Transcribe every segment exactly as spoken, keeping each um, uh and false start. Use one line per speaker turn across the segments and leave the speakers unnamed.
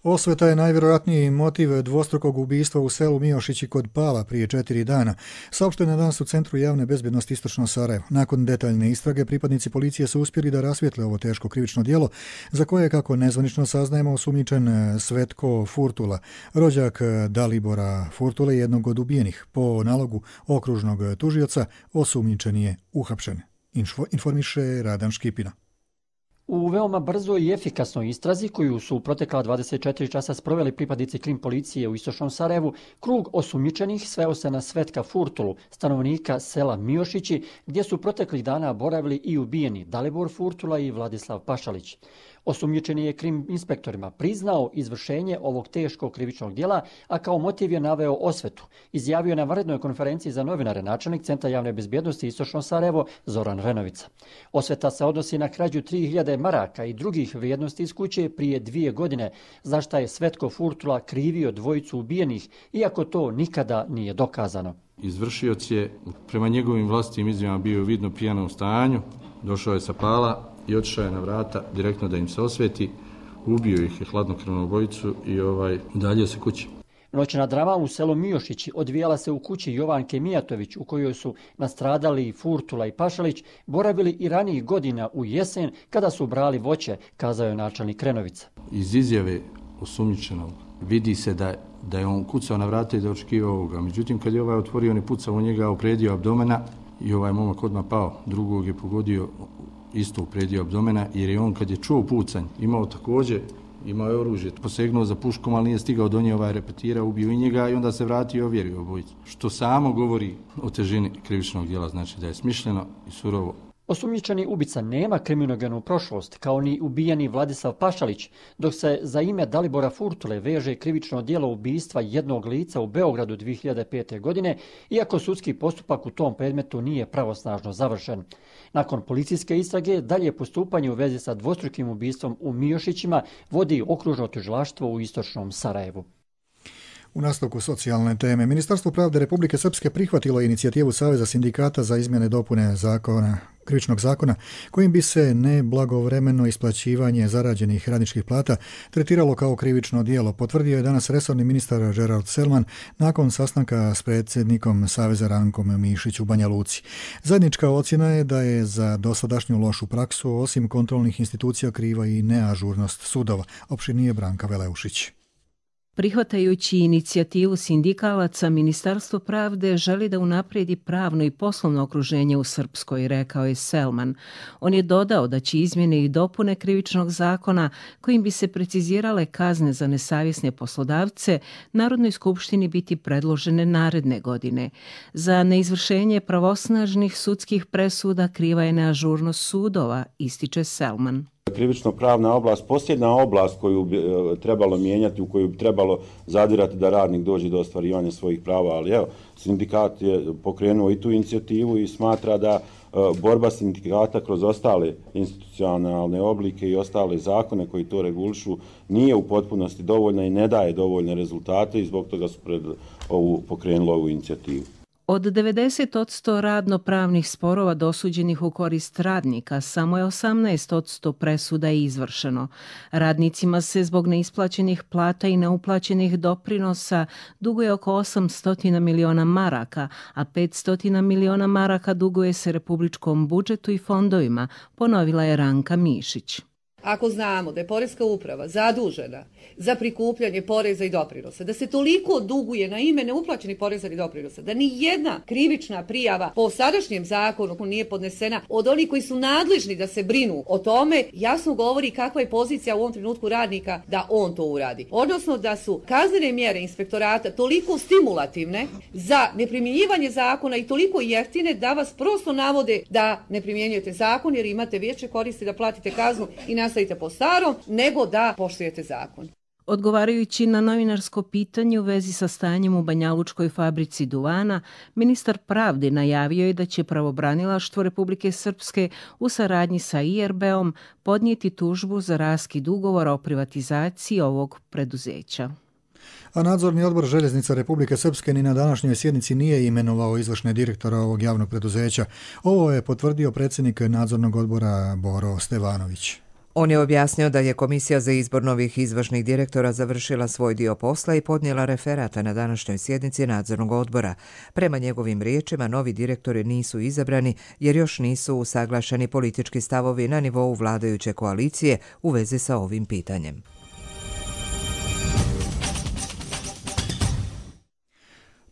Osveta je najvjerojatniji motiv dvostrukog ubistva u selu Miošići kod Pala prije četiri dana. Saopšteno je danas u Centru javne bezbjednosti Istočno Sarajevo. Nakon detaljne istrage, pripadnici policije su uspjeli da rasvijetle ovo teško krivično djelo, za koje je, kako nezvanično saznajemo, osumnjičen Svetko Furtula, rođak Dalibora Furtule, jednog od ubijenih. Po nalogu okružnog tužioca osumnjičen je uhapšen, informiše Radan Škipina.
U veoma brzoj i efikasnoj istrazi koju su u protekla dvadeset četiri časa sproveli pripadnici krim policije u Istočnom Sarajevu, krug osumnjičenih sveo se na Svetka Furtulu, stanovnika sela Miošići, gdje su proteklih dana boravili i ubijeni Dalibor Furtula i Vladislav Pašalić. Osumnjičeni je krim inspektorima priznao izvršenje ovog teškog krivičnog djela, a kao motiv je naveo osvetu. Izjavio je na vanrednoj konferenciji za novinare načelnik Centra javne bezbjednosti Istočno Sarajevo Zoran Renovica. Osveta se odnosi na krađu tri hiljade maraka i drugih vrijednosti iz kuće prije dvije godine, za šta je Svetko Furtula krivio dvojicu ubijenih, iako to nikada nije dokazano.
Izvršioc je prema njegovim vlastitim izjavama bio vidno pijan u stanju, došao je sa Pala i otišao je na vrata direktno da im se osveti, ubio ih je hladnokrvnu obojicu i ovaj, udaljio se kući.
Noćna drama u selu Miošići odvijala se u kući Jovanke Mijatović, u kojoj su nastradali Furtula i Pašalić, boravili i ranijih godina u jesen kada su brali voće, kazao je načelnik Renovica.
Iz izjave osumnjičenog vidi se da, da je on kucao na vrata i da očekivao ovoga. Međutim, kad je ovaj otvorio, on je pucao u njega u predio abdomena i ovaj momak odmah pao. Drugog je pogodio isto u predio abdomena, jer je on kad je čuo pucanj imao također, imao je oružje, posegnuo za puškom, ali nije stigao do nje, ovaj repetira, ubio i njega i onda se vratio i ovjerio obojicu. Što samo govori o težini krivičnog djela, znači da je smišljeno i surovo.
Osumnjičeni ubica nema kriminogenu prošlost, kao ni ubijeni Vladislav Pašalić, dok se za ime Dalibora Furtule veže krivično djelo ubistva jednog lica u Beogradu dvije hiljade pete. godine, iako sudski postupak u tom predmetu nije pravosnažno završen. Nakon policijske istrage, dalje postupanje u vezi sa dvostrukim ubistvom u Miošićima vodi okružno tužilaštvo u Istočnom Sarajevu.
U nastavku socijalne teme, Ministarstvo pravde Republike Srpske prihvatilo inicijativu Saveza sindikata za izmjene dopune zakona, krivičnog zakona, kojim bi se neblagovremeno isplaćivanje zarađenih radničkih plata tretiralo kao krivično djelo, potvrdio je danas resorni ministar Gerald Selman nakon sastanka s predsjednikom Saveza Rankom Mišić u Banja Luci. Zajednička ocjena je da je za dosadašnju lošu praksu, osim kontrolnih institucija, kriva i neažurnost sudova, opširnije Branka Veleušić.
Prihvatajući inicijativu sindikalaca, Ministarstvo pravde želi da unaprijedi pravno i poslovno okruženje u Srpskoj, rekao je Selman. On je dodao da će izmjene i dopune krivičnog zakona, kojim bi se precizirale kazne za nesavjesne poslodavce, Narodnoj skupštini biti predložene naredne godine. Za neizvršenje pravosnažnih sudskih presuda kriva je neažurnost sudova, ističe Selman.
Krivično-pravna oblast, posljedna oblast koju bi trebalo mijenjati, u koju bi trebalo zadirati da radnik dođe do ostvarivanja svojih prava, ali evo, sindikat je pokrenuo i tu inicijativu i smatra da borba sindikata kroz ostale institucionalne oblike i ostale zakone koji to regulišu nije u potpunosti dovoljna i ne daje dovoljne rezultate i zbog toga su pred ovu, pokrenuli ovu inicijativu.
Od devedeset posto radno-pravnih sporova dosuđenih u korist radnika, samo je osamnaest posto presuda izvršeno. Radnicima se zbog neisplaćenih plata i neuplaćenih doprinosa duguje oko osamsto miliona maraka, a petsto miliona maraka duguje se republičkom budžetu i fondovima, ponovila je Ranka Mišić.
Ako znamo da je Poreska uprava zadužena za prikupljanje poreza i doprinosa, da se toliko duguje na ime neuplaćenih poreza i doprinosa, da ni jedna krivična prijava po sadašnjem zakonu nije podnesena od onih koji su nadležni da se brinu o tome, jasno govori kakva je pozicija u ovom trenutku radnika da on to uradi. Odnosno da su kaznene mjere inspektorata toliko stimulativne za neprimjenjivanje zakona i toliko jeftine da vas prosto navode da ne primjenjujete zakon jer imate veće koristi da platite kaznu i nastavite po starom, nego da poštujete zakon.
Odgovarajući na novinarsko pitanje u vezi sa stanjem u banjalučkoj fabrici duvana, ministar pravde najavio je da će pravobranilaštvo Republike Srpske u saradnji sa I R B-om podnijeti tužbu za raskid ugovora o privatizaciji ovog preduzeća.
A nadzorni odbor Željeznica Republike Srpske ni na današnjoj sjednici nije imenovao izvršne direktora ovog javnog preduzeća. Ovo je potvrdio predsjednik nadzornog odbora Boro Stevanović.
On je objasnio da je Komisija za izbor novih izvršnih direktora završila svoj dio posla i podnijela referata na današnjoj sjednici nadzornog odbora. Prema njegovim riječima, novi direktori nisu izabrani jer još nisu usaglašeni politički stavovi na nivou vladajuće koalicije u vezi sa ovim pitanjem.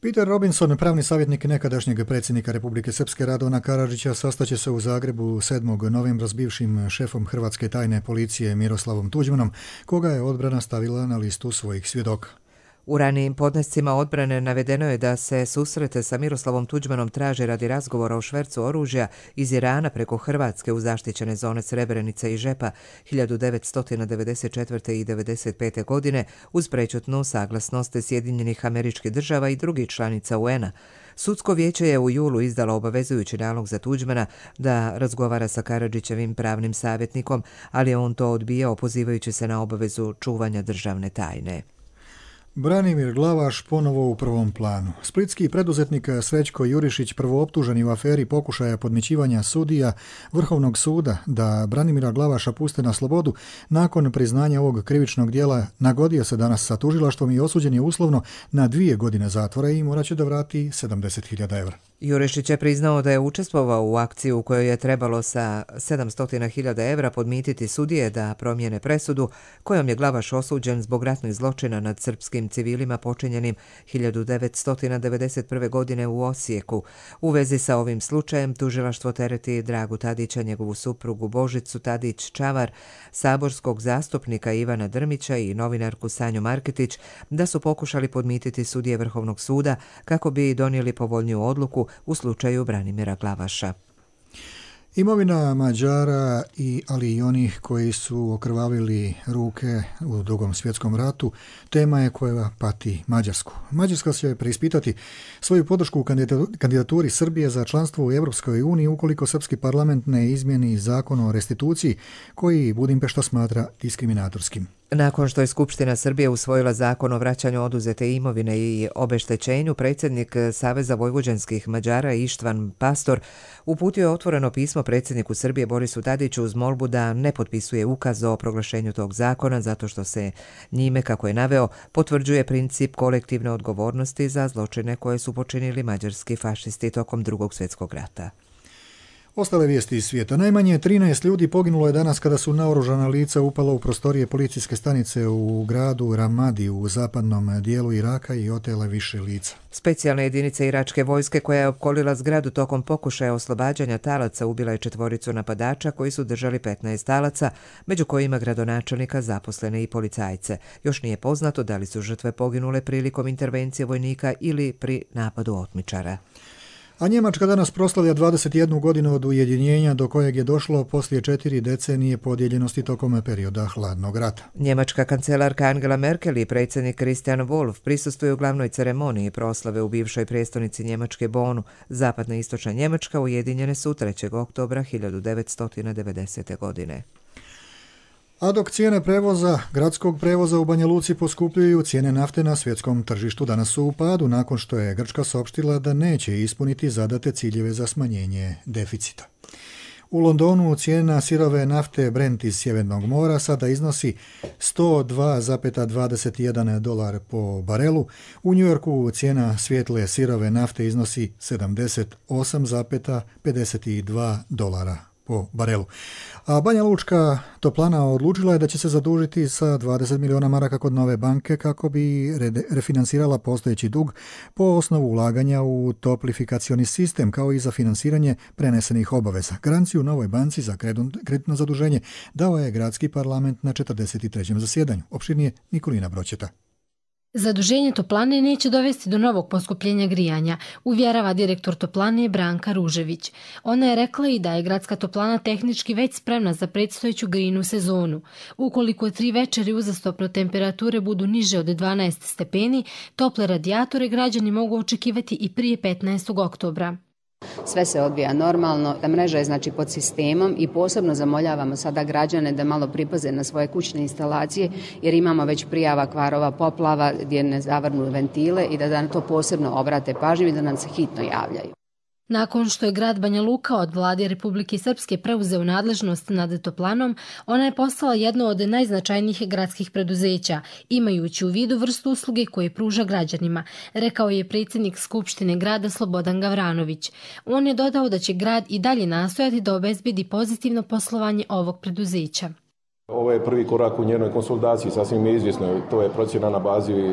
Peter Robinson, pravni savjetnik nekadašnjeg predsjednika Republike Srpske Radovana Karadžića, sastaće se u Zagrebu sedmog novembra s bivšim šefom Hrvatske tajne policije Miroslavom Tuđmanom, koga je odbrana stavila na listu svojih svjedoka.
U ranijim podnescima odbrane navedeno je da se susrete sa Miroslavom Tuđmanom traže radi razgovora o švercu oružja iz Irana preko Hrvatske u zaštićene zone Srebrenice i Žepa hiljadu devetsto devedeset četvrte. i devedeset pete. godine uz prečutnu saglasnost Sjedinjenih Američkih Država i drugih članica U N-a. Sudsko vijeće je u julu izdalo obavezujući nalog za Tuđmana da razgovara sa Karadžićevim pravnim savjetnikom, ali je on to odbijao pozivajući se na obavezu čuvanja državne tajne.
Branimir Glavaš ponovo u prvom planu. Splitski preduzetnik Srećko Jurišić, prvooptuženi u aferi pokušaja podmićivanja sudija Vrhovnog suda da Branimira Glavaša puste na slobodu, nakon priznanja ovog krivičnog dijela nagodio se danas sa tužilaštvom i osuđen je uslovno na dvije godine zatvora i morat će da vrati sedamdeset hiljada evra.
Jurišić je priznao da je učestvovao u akciji u kojoj je trebalo sa sedamsto hiljada evra podmititi sudije da promijene presudu kojom je Glavaš osuđen zbog ratnih zločina nad srpskim civilima počinjenim hiljadu devetsto devedeset prve. godine u Osijeku. U vezi sa ovim slučajem tužilaštvo tereti Dragu Tadića, njegovu suprugu Božicu Tadić-Čavar, saborskog zastupnika Ivana Drmića i novinarku Sanju Marketić da su pokušali podmititi sudije Vrhovnog suda kako bi donijeli povoljniju odluku u slučaju Branimira Glavaša.
Imovina Mađara, i, ali i onih koji su okrvavili ruke u Drugom svjetskom ratu, tema je koja pati Mađarsku. Mađarska će preispitati svoju podršku u kandidaturi Srbije za članstvo u Europskoj uniji ukoliko srpski parlament ne izmjeni zakon o restituciji koji Budimpešta smatra diskriminatorskim.
Nakon što je Skupština Srbije usvojila zakon o vraćanju oduzete imovine i obeštećenju, predsjednik Saveza vojvođanskih Mađara Ištvan Pastor uputio je otvoreno pismo predsjedniku Srbije Borisu Tadiću uz molbu da ne potpisuje ukaz o proglašenju tog zakona zato što se njime, kako je naveo, potvrđuje princip kolektivne odgovornosti za zločine koje su počinili mađarski fašisti tokom Drugog svjetskog rata.
Ostale vijesti iz svijeta. Najmanje trinaest ljudi poginulo je danas kada su naoružana lica upala u prostorije policijske stanice u gradu Ramadi u zapadnom dijelu Iraka i otela više lica.
Specijalne jedinice iračke vojske koja je opkolila zgradu tokom pokušaja oslobađanja talaca ubila je četvoricu napadača koji su držali petnaest talaca, među kojima gradonačelnika, zaposlene i policajce. Još nije poznato da li su žrtve poginule prilikom intervencije vojnika ili pri napadu otmičara.
A Njemačka danas proslavlja dvadeset jednu godinu od ujedinjenja do kojeg je došlo poslije četiri decenije podijeljenosti tokom perioda hladnog rata.
Njemačka kancelarka Angela Merkel i predsjednik Christian Wolff prisustvuju glavnoj ceremoniji proslave u bivšoj prijestolnici Njemačke Bonu. Zapadna i istočna Njemačka ujedinjene su trećeg oktobra hiljadu devetsto devedesete. godine.
A dok cijene prevoza, gradskog prevoza u Banja Luci poskupljuju, cijene nafte na svjetskom tržištu danas su u padu nakon što je Grčka saopštila da neće ispuniti zadate ciljeve za smanjenje deficita. U Londonu cijena sirove nafte Brent iz Sjevernog mora sada iznosi sto dva zarez dvadeset jedan dolar po barelu. U Njujorku cijena svijetle sirove nafte iznosi sedamdeset osam zarez pedeset dva dolara po barelu. A Banja Lučka toplana odlučila je da će se zadužiti sa dvadeset milijuna maraka kod nove banke kako bi refinansirala postojeći dug po osnovu ulaganja u toplifikacioni sistem kao i za finansiranje prenesenih obaveza. Garanciju novoj banci za kreditno zaduženje dao je gradski parlament na četrdeset trećem zasjedanju. Opširnije Nikolina Broćeta.
Zaduženje toplane neće dovesti do novog poskupljenja grijanja, uvjerava direktor toplane Branka Ružević. Ona je rekla i da je gradska toplana tehnički već spremna za predstojeću grijnu sezonu. Ukoliko tri večeri uzastopno temperature budu niže od dvanaest stepeni, tople radijatore građani mogu očekivati i prije petnaestog oktobra.
Sve se odvija normalno, ta mreža je znači pod sistemom i posebno zamoljavamo sada građane da malo pripaze na svoje kućne instalacije jer imamo već prijava kvarova poplava gdje ne zavrnu ventile i da na to posebno obrate pažnju i da nam se hitno javljaju.
Nakon što je grad Banja Luka od vlade Republike Srpske preuzeo nadležnost nad Toplanom, ona je postala jedno od najznačajnijih gradskih preduzeća, imajući u vidu vrstu usluge koje pruža građanima, rekao je predsjednik Skupštine grada Slobodan Gavranović. On je dodao da će grad i dalje nastojati da obezbedi pozitivno poslovanje ovog preduzeća.
Ovo je prvi korak u njenoj konsolidaciji, sasvim je izvjesno, to je procjena na bazi e,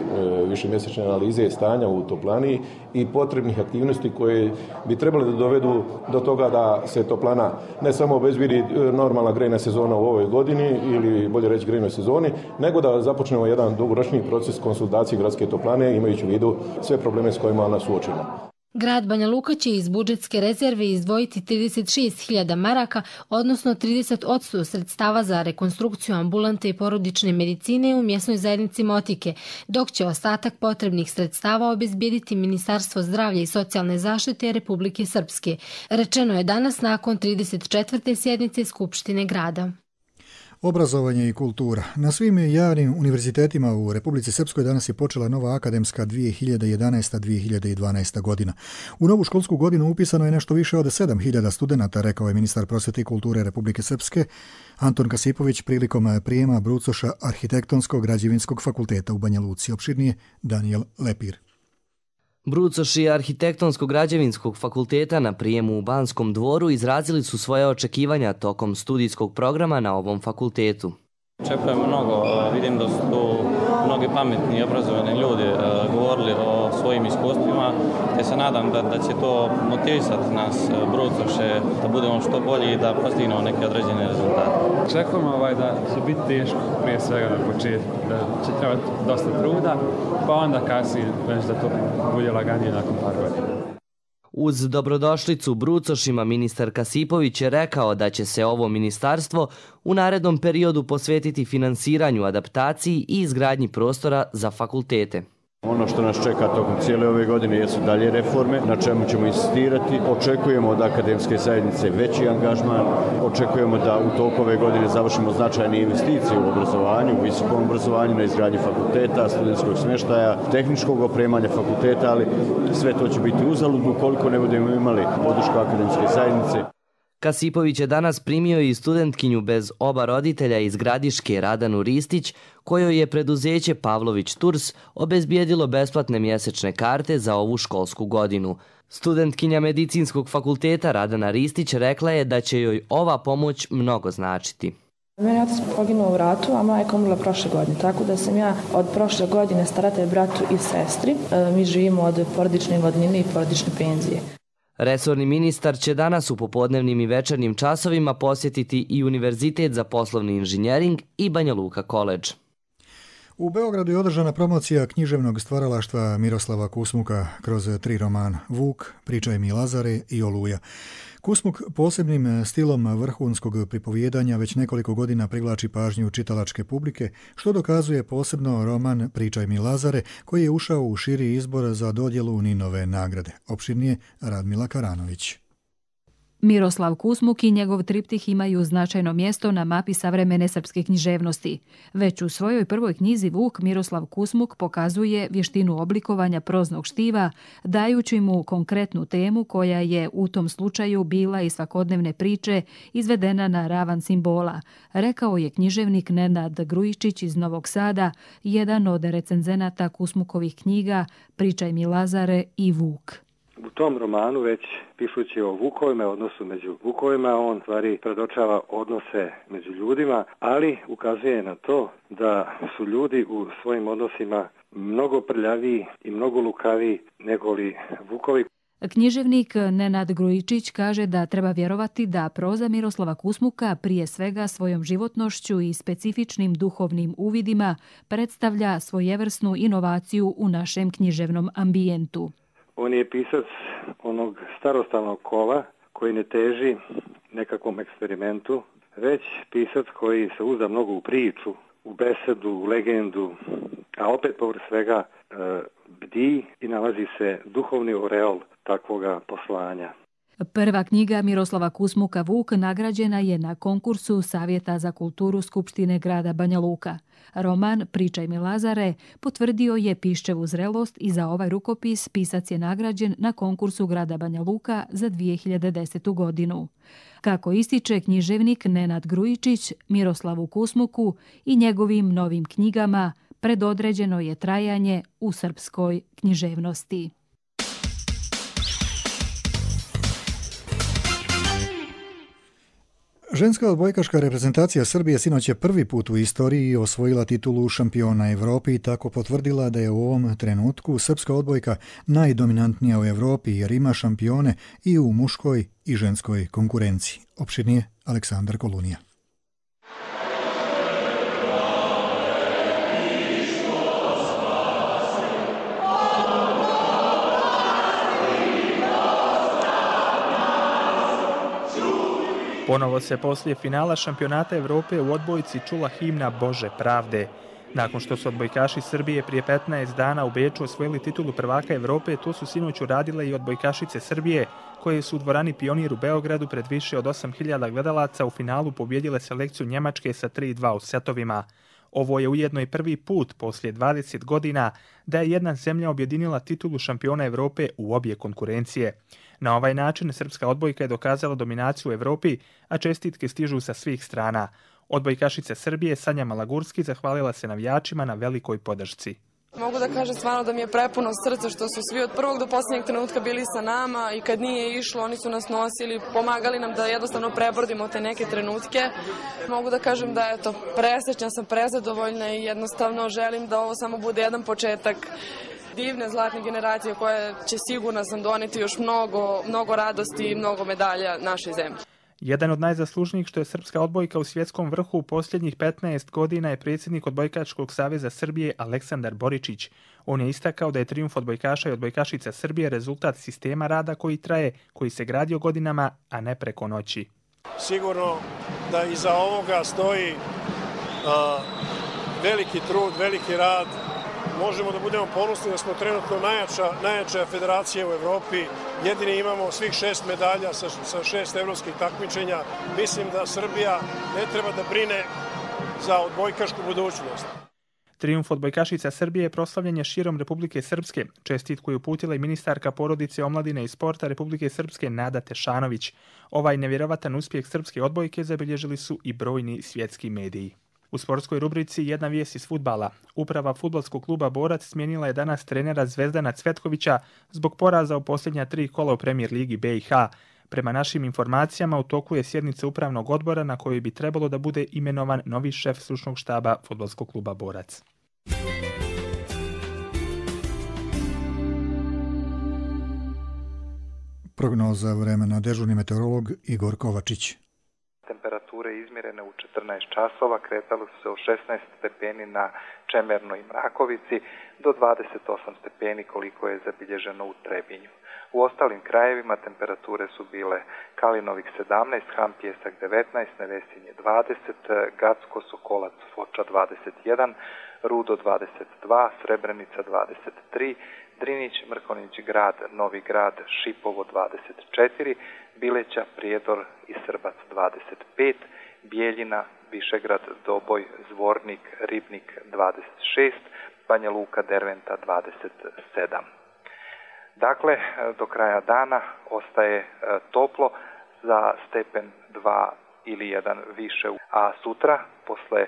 višemjesečne analize stanja u Toplani i potrebnih aktivnosti koje bi trebali da dovedu do toga da se Toplana ne samo obezbedi normalna grejna sezona u ovoj godini ili bolje reći grejnoj sezoni, nego da započnemo jedan dugoročni proces konsolidacije gradske Toplane imajući u vidu sve probleme s kojima ona suočena.
Grad Banja Luka će iz budžetske rezerve izdvojiti trideset šest hiljada maraka, odnosno trideset posto sredstava za rekonstrukciju ambulante i porodične medicine u mjesnoj zajednici Motike, dok će ostatak potrebnih sredstava obezbijediti Ministarstvo zdravlja i socijalne zaštite Republike Srpske. Rečeno je danas nakon trideset četvrte sjednice Skupštine grada.
Obrazovanje i kultura. Na svim javnim univerzitetima u Republici Srpskoj danas je počela nova akademska dvije hiljade jedanaesta dvije hiljade dvanaesta godina. U novu školsku godinu upisano je nešto više od sedam hiljada studenata, rekao je ministar prosvete i kulture Republike Srpske Anton Kasipović prilikom prijema brucoša Arhitektonskog građevinskog fakulteta u Banja Luci. Opširnije Daniel Lepir.
Brucoši Arhitektonskog građevinskog fakulteta na prijemu u Banskom dvoru izrazili su svoje očekivanja tokom studijskog programa na ovom fakultetu.
Očekujem mnogo, vidim da su tu mnogi pametni i obrazovani ljudi govorili o svojim iskustvima, te se nadam da, da će to motivisati nas brucoše da budemo što bolji i da postignemo neke određene rezultate.
Očekujem ovaj, da će biti teško prije svega na početku, da će trebati dosta truda, pa onda kasnije već da to bude laganije nakon par godina.
Uz dobrodošlicu brucošima ministar Kasipović je rekao da će se ovo ministarstvo u narednom periodu posvetiti finansiranju, adaptaciji i izgradnji prostora za fakultete.
Ono što nas čeka tokom cijele ove godine jesu dalje reforme, na čemu ćemo insistirati. Očekujemo od akademske zajednice veći angažman, očekujemo da u toku ove godine završimo značajne investicije u obrazovanju, u visokom obrazovanju, na izgradnji fakulteta, studentskog smještaja, tehničkog opremanja fakulteta, ali sve to će biti uzalud ukoliko ne budemo imali podršku akademske zajednice.
Kasipović je danas primio i studentkinju bez oba roditelja iz Gradiške Radanu Ristić, kojoj je preduzeće Pavlović Tours obezbijedilo besplatne mjesečne karte za ovu školsku godinu. Studentkinja medicinskog fakulteta Radana Ristić rekla je da će joj ova pomoć mnogo značiti.
Meni je otac poginuo u ratu, a majka umrla prošle godine, tako da sam ja od prošle godine staratelj bratu i sestri. Mi živimo od porodične invalidnine i porodične penzije.
Resorni ministar će danas u popodnevnim i večernjim časovima posjetiti i Univerzitet za poslovni inženjering i Banja Luka koledž.
U Beogradu je održana promocija književnog stvaralaštva Miroslava Kusmuka kroz tri romana Vuk, Pričaj mi Lazare i Oluja. Kusmuk posebnim stilom vrhunskog pripovijedanja već nekoliko godina privlači pažnju čitalačke publike, što dokazuje posebno roman Pričaj mi Lazare, koji je ušao u širi izbor za dodjelu Ninove nagrade. Opširnije Radmila Karanović.
Miroslav Kusmuk i njegov triptih imaju značajno mjesto na mapi savremene srpske književnosti. Već u svojoj prvoj knjizi Vuk Miroslav Kusmuk pokazuje vještinu oblikovanja proznog štiva, dajući mu konkretnu temu koja je u tom slučaju bila iz svakodnevne priče izvedena na ravan simbola, rekao je književnik Nenad Grujičić iz Novog Sada, jedan od recenzenata Kusmukovih knjiga Pričaj mi Lazare i Vuk.
U tom romanu, već pišući o vukovima, odnosu među vukovima, on stvari predočava odnose među ljudima, ali ukazuje na to da su ljudi u svojim odnosima mnogo prljaviji i mnogo lukaviji nego li vukovi.
Književnik Nenad Grujičić kaže da treba vjerovati da proza Miroslava Kusmuka prije svega svojom životnošću i specifičnim duhovnim uvidima predstavlja svojevrsnu inovaciju u našem književnom ambijentu.
On je pisac onog starostalnog kova koji ne teži nekakvom eksperimentu, već pisac koji se uzda mnogo u priču, u besedu, u legendu, a opet povrh svega e, bdi i nalazi se duhovni oreol takvoga poslanja.
Prva knjiga Miroslava Kusmuka Vuk nagrađena je na konkursu Savjeta za kulturu Skupštine grada Banja Luka. Roman Pričaj mi Lazare potvrdio je Piščevu zrelost i za ovaj rukopis pisac je nagrađen na konkursu grada Banja Luka za dvije hiljade desetu. godinu. Kako ističe književnik Nenad Grujičić, Miroslavu Kusmuku i njegovim novim knjigama predodređeno je trajanje u srpskoj književnosti.
Ženska odbojkaška reprezentacija Srbije sinoć je prvi put u istoriji osvojila titulu šampiona Evropi i tako potvrdila da je u ovom trenutku srpska odbojka najdominantnija u Evropi jer ima šampione i u muškoj i ženskoj konkurenciji. Opširnije Aleksandar Kolunija.
Ponovo se poslije finala šampionata Evrope u odbojci čula himna Bože pravde. Nakon što su odbojkaši Srbije prije petnaest dana u Beču osvojili titulu prvaka Evrope, to su sinoć uradile i odbojkašice Srbije, koje su u dvorani Pionir u Beogradu pred više od osam hiljada gledalaca u finalu pobjedile selekciju Njemačke sa tri dva u setovima. Ovo je ujedno i prvi put poslije dvadeset godina da je jedna zemlja objedinila titulu šampiona Evrope u obje konkurencije. Na ovaj način srpska odbojka je dokazala dominaciju u Evropi, a čestitke stižu sa svih strana. Odbojkašica Srbije Sanja Malagurski zahvalila se navijačima na velikoj podršci.
Mogu da kažem stvarno da mi je prepuno srce što su svi od prvog do posljednjeg trenutka bili sa nama i kad nije išlo oni su nas nosili, pomagali nam da jednostavno prebrodimo te neke trenutke. Mogu da kažem da eto, presrećna sam, prezadovoljna i jednostavno želim da ovo samo bude jedan početak divne zlatne generacije koje će sigurno sam doneti još mnogo, mnogo radosti i mnogo medalja našoj zemlji.
Jedan od najzaslužnijih što je srpska odbojka u svjetskom vrhu u posljednjih petnaest godina je predsjednik Odbojkačkog saveza Srbije Aleksandar Boričić. On je istakao da je trijumf odbojkaša i odbojkašica Srbije rezultat sistema rada koji traje, koji se gradio godinama, a ne preko noći.
Sigurno da iza ovoga stoji uh, veliki trud, veliki rad. Možemo da budemo ponosni da smo trenutno najjača, najjača federacija u Evropi. Jedini imamo svih šest medalja sa, sa šest evropskih takmičenja. Mislim da Srbija ne treba da brine za odbojkašku budućnost.
Trijumf odbojkašica Srbije proslavljen je širom Republike Srpske. Čestitku je uputila i ministarka porodice, omladine i sporta Republike Srpske Nada Tešanović. Ovaj nevjerovatan uspjeh srpske odbojke zabilježili su i brojni svjetski mediji. U sportskoj rubrici jedna vijest iz fudbala. Uprava fudbalskog kluba Borac smijenila je danas trenera Zvezdana Cvetkovića zbog poraza u posljednja tri kola u Premier ligi B i H. Prema našim informacijama u toku je sjednica upravnog odbora na kojoj bi trebalo da bude imenovan novi šef stručnog štaba fudbalskog kluba Borac.
Prognoza vremena, dežurni meteorolog Igor Kovačić.
Temperature izmjerene u četrnaest časova kretale su se od šesnaest stepeni na Čemernoj i Mrakovici do dvadeset osam stepeni koliko je zabilježeno u Trebinju. U ostalim krajevima temperature su bile Kalinovik sedamnaest, Han Pijesak devetnaest, Nevesinje dvadeset, Gacko, Sokolac, Foča dvadeset jedan, Rudo dvadeset dva, Srebrenica dvadeset tri, Drinić, Mrkonjić Grad, Novi Grad, Šipovo dvadeset četiri, Bileća, Prijedor i Srbac dvadeset pet, Bijeljina, Višegrad, Doboj, Zvornik, Ribnik dvadeset šest, Banja Luka, Derventa dvadeset sedam. Dakle, do kraja dana ostaje toplo za stepen dva ili jedan više, a sutra, posle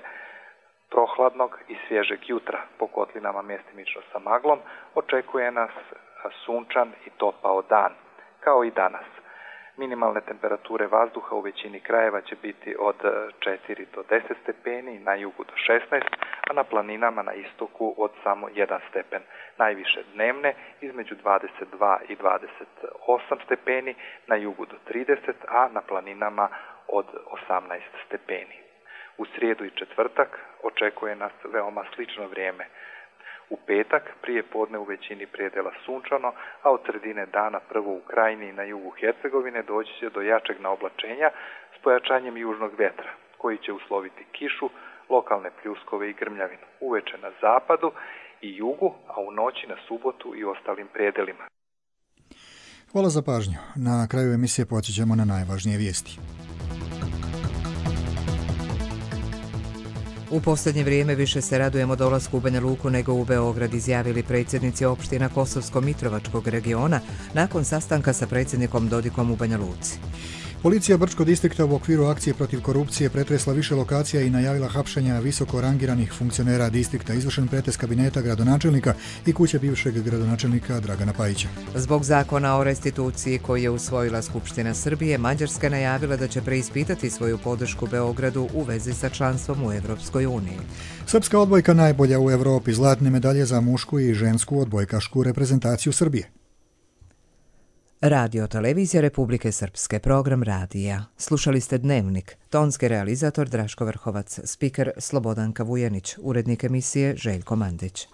prohladnog i svježeg jutra po kotlinama mjestimično sa maglom, očekuje nas sunčan i topao dan, kao i danas. Minimalne temperature vazduha u većini krajeva će biti od četiri do deset stepeni, na jugu do šesnaest, a na planinama na istoku od samo jedan stepen. Najviše dnevne između dvadeset dva i dvadeset osam stepeni, na jugu do trideset, a na planinama od osamnaest stepeni. U srijedu i četvrtak očekuje nas veoma slično vrijeme. U petak prije podne u većini predjela sunčano, a od sredine dana prvo u Krajini i na jugu Hercegovine doći će do jačeg naoblačenja s pojačanjem južnog vjetra, koji će usloviti kišu, lokalne pljuskove i grmljavinu, uveče na zapadu i jugu, a u noći na subotu i ostalim predjelima.
Hvala za pažnju. Na kraju emisije podsjećamo na najvažnije vijesti.
U posljednje vrijeme više se radujemo dolasku u Banja Luku nego u Beograd, izjavili predsjednici opština Kosovsko-Mitrovačkog regiona nakon sastanka sa predsjednikom Dodikom u Banja Luci.
Policija Brčkog distrikta u okviru akcije protiv korupcije pretresla više lokacija i najavila hapšenja visoko rangiranih funkcionera distrikta, izvršen pretres kabineta gradonačelnika i kuće bivšeg gradonačelnika Dragana Pajića.
Zbog zakona o restituciji koji je usvojila Skupština Srbije, Mađarska najavila da će preispitati svoju podršku Beogradu u vezi sa članstvom u Evropskoj uniji.
Srpska odbojka najbolja u Evropi, zlatne medalje za mušku i žensku odbojkašku reprezentaciju Srbije.
Radio Televizija Republike Srpske, program radija. Slušali ste Dnevnik, tonski realizator Draško Vrhovac, spiker Slobodanka Vujanić, urednik emisije Željko Mandić.